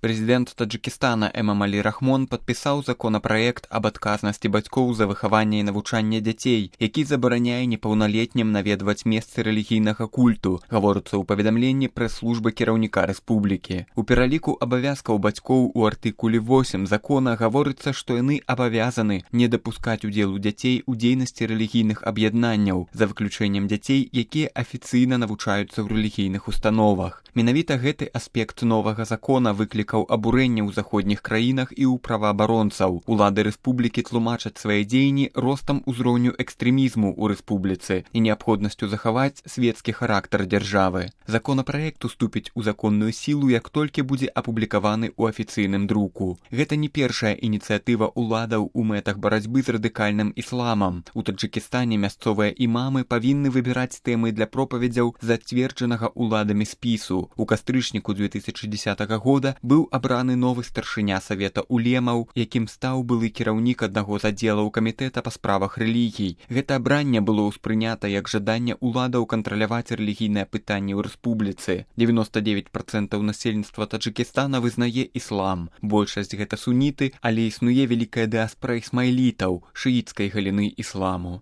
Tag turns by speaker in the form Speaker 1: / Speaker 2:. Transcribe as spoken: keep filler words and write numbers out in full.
Speaker 1: Прэзідэнт Таджикистана Эмомали Рахмон падпісаў законапраект аб адказнасці бацькоў за выхаванне і навучанне дзяцей, які забараняе непаўналетнім наведваць месцы рэлігійнага культу, гаворыцца ў паведамленні прэс-службы кіраўніка рэспублікі. У пераліку абавязкаў бацькоў у артыкуле восем закона гаворыцца, што яны абавязаны не дапускаць удзелу дзяцей у дзейнасці рэлігійных аб'яднанняў, за выключэннем дзяцей, якія афіцыйна навучаюцца ў рэлігійных установах. Менавіта гэты аспект новага закона выклікаў абурэнне ў заходніх краінах і ў праваабаронцаў. Улады рэспублікі тлумачаць свае дзеянні ростам узроўню экстрэмізму ў рэспубліцы і неабходнасцю захаваць светскі характар дзяржавы. Законапраект уступіць у законную сілу, як толькі будзе апублікаваны ў афіцыйным друку. Гэта не першая ініцыятыва ўладаў у мэтах барацьбы з радыкальным ісламам. У Таджикистане мясцовыя імамы павінны выбіраць тэмы для пропаведзяў зацверджанага ўладамі спісу. У кастрычніку две тысячи дзесятага года быў абраны новы старшыня савета улемаў, якім стаў былы кіраўнік аднаго з аддзелаў камітэта па справах рэлігій. Гэта абранне было ўспрынята як жаданне ўладаў кантраляваць рэлігійныя пытанні ў рэспубліцы. девяносто девять процентов насельніцтва Таджикистана вызнае іслам. Большасць гэта суніты, але існуе вялікая дыаспара ісмаілітаў, шыіцкай галіны ісламу.